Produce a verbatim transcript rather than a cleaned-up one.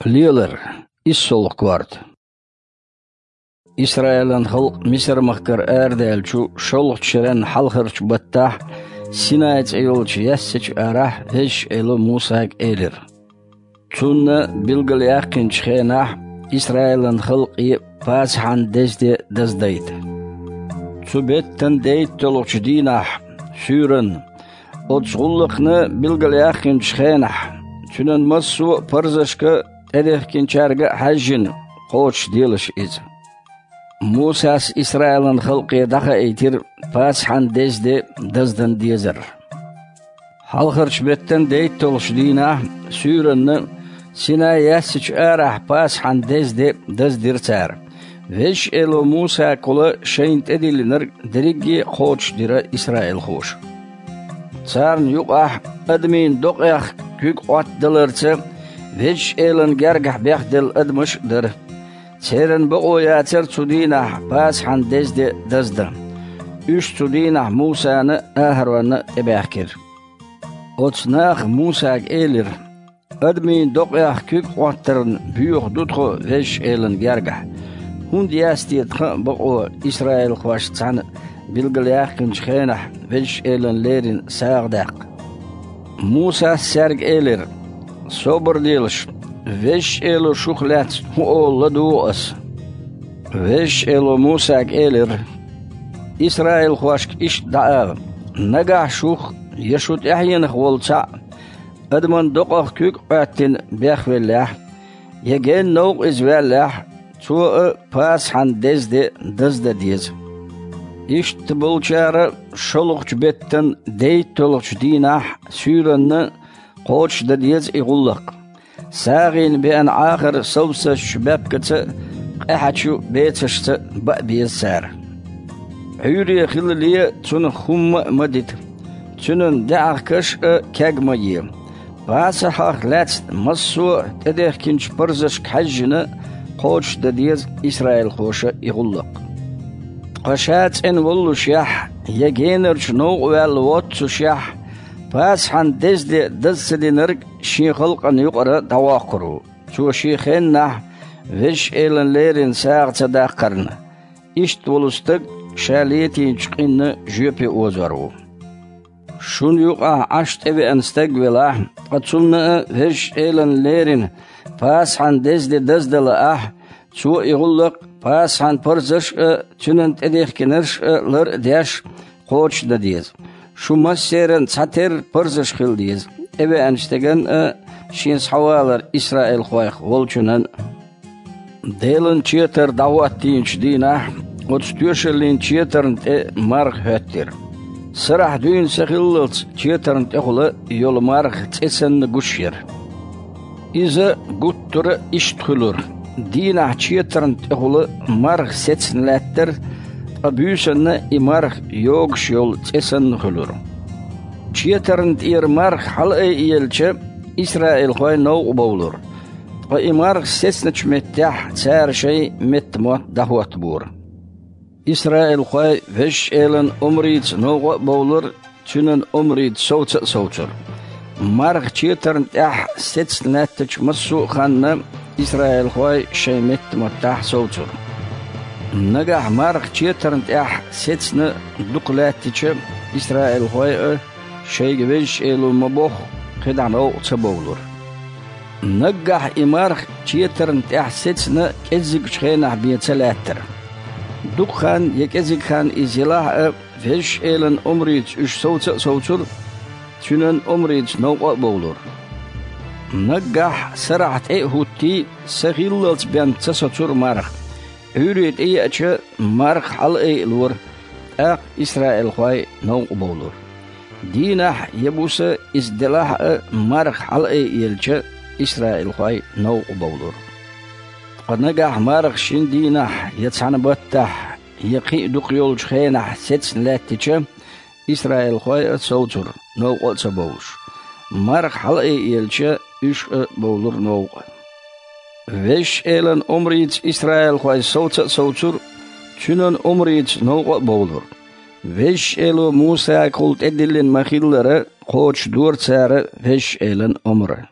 Лелар, иссолгӀа корта. Исраилан халкъ Мисар-махкара арадаьллачу шолгӀачу шеран хьалхарчу баттахь, Синай цӀе йолчу яьссачу арахь Везачу Эло Мусага элира: «Цунна билгалъяьккхинчу хенахь Исраилан халкъе Пасахьан деза де даздайта. Цу беттан дейтталгӀачу дийнахь суьйранна, оцу гӀуллакхна билгалъяьккхинчу хенахь, цуьнан массо а парзашка а, тӀедехкинчаьрга а хьаьжжина, кхочушделаш иза». Мусас Исраилан халкъе дӀахаийтира Пасахьан деза де даздан дезар. Хьалхарчу беттан дейтталгӀачу дийнахь суьйранна, Синай яьссачу арахь Пасахьан деза де даздира цара. Везачу Эло Мусагахула шайна тӀедиллинарг дерриге а кхочушдира исраилхоша. Царна юкъахь адамийн докъех куьг Ӏоттадаларца Везачу Элана гергахь бехделла адамаш а дара. Церан бакъо яцара цу дийнахь Пасахьан деза де даздан. Уьш цу дийнахь Мусана а, АхӀаронна а тӀебаьхкира. Оцу наха Мусага элира: «Адамийн докъех куьг Ӏоттарна боьха ду тхо Везачу Элана гергахь. ХӀунда яц те тхан а бакъо исраилхошца цхьаьна билгалъяьккхинчу хенахь Везачу Элана леррина сагӀа даккха?» Мусас цаьрга элира: «Собар делаш, Везачу Эло шух лаьцна хӀун олу ладугӀу ас». Везачу Эло Мусага элира: «Исраилхошка иштта дӀаала: „Нагахь шух я шу тӀаьхьенах волу цхьаъ адаман докъех куьг Ӏоьттина бехвеллехь, я генна новкъа иза ваьллехь, цо а Пасахьан деза де даздан деза». Иштта болчара шолгӀачу беттан дейтталгӀачу дийнахь суьйранна кхочушдан деза и гӀуллакх. СагӀина беана Ӏахар совсазчу баьпкаца а, къаьхьачу бецашца а баа беза цара. Ӏуьйре хилале цунах хӀумма а ма дита, цуьнан даьӀахкаш а кег ма е. Пасахьах лаьцна массо а тӀедехкинчу парзашка хьаьжжина, кхочушдан деза исраилхоша и гӀуллакх. Ткъа ша цӀена воллушехь, я генарчу новкъа ваьлла воццушехь, Пасахьан деза де даза ца динарг шен халкъана юкъара дӀавоккхур ву. Цо шен хеннахь Везачу Элана леррина сагӀа ца даккхарна, иштта волу стаг ша летийначу къинна жоьпе озор ву. Шуна юкъахь Ӏаш тӀевеана стаг велахь, ткъа цунна а Везачу Элана леррина Пасахьан деза де даздан лаахь, цо и гӀуллакх Пасахьан парзаш а, цуьнан тӀедехкинарш а лар а деш, кхочушдан деза. Шу массеран цхьатерра парзаш хила деза, тӀевеанчу стеган а, шен схьавалар исраилхойх волчунан а. Делан четар дӀахӀоттийначу дийнахь оцу тоьшаллин четарна тӀе марха хӀоьттира. Сарахь дуьйна са хиллалц четарна тӀехула йолу марха цӀе санна гуш яра. Иза гуттара а иштта хуьлура: дийнахь четарна тӀехула марха сецна лаьттара, ткъа буьйсанна и марха йогуш йолу цӀе санна хуьлура. Четарна тӀера марха хьалаайъелча, исраилхой новкъа бовлура, ткъа и марха сецначу меттехь цара шайн меттамотт дӀахӀоттабора. Исраилхой Везачу Элан омрица новкъа а бовлура, цуьнан омрица совца а совцура. Марха четарна тӀехь сецна лаьттачу массо а ханна исраилхой шайн меттаматтахь совцура. Нагахь марха четарна тӀехь сецна дукха лаьттича, исраилхой а, шайга Везачу Эло ма-бохху, кхидӀа новкъа ца бовлура. Наггахь и марха четарна тӀехь сецна кӀеззигчу хенахь бен ца лаьттара. Дукха хан я кӀезиг хан иза елахь а, Везачу Элан омрица уьш совца а совцура, цуьнан омрица новкъа а бовлура. Наггахь сарахь тӀе а хӀуттий, са хиллалц бен ца соцура марха. Ӏуьйре тӀееача, марха хьалаайъалора, тӀаккха исраилхой новкъа бовлура. Дийнахь я буса иза делахь а, марха хьалаайъелча, исраилхой новкъа бовлура. Ткъа нагахь марха шина дийнахь я цхьана баттахь, я кхин а дукха йолчу хенахь сецна лаьттича, исраилхой а совцура, новкъа а ца бовлуш. Марха хьалаайъелча, уьш а бовлура новкъа. Везачу Элан омрица исраилхой совца а совцура, цуьнан омрица новкъа а бовлура. Везачу Эло Мусагахула тӀедиллина ма-хиллара, кхочушдора цара Везачу Элан омра.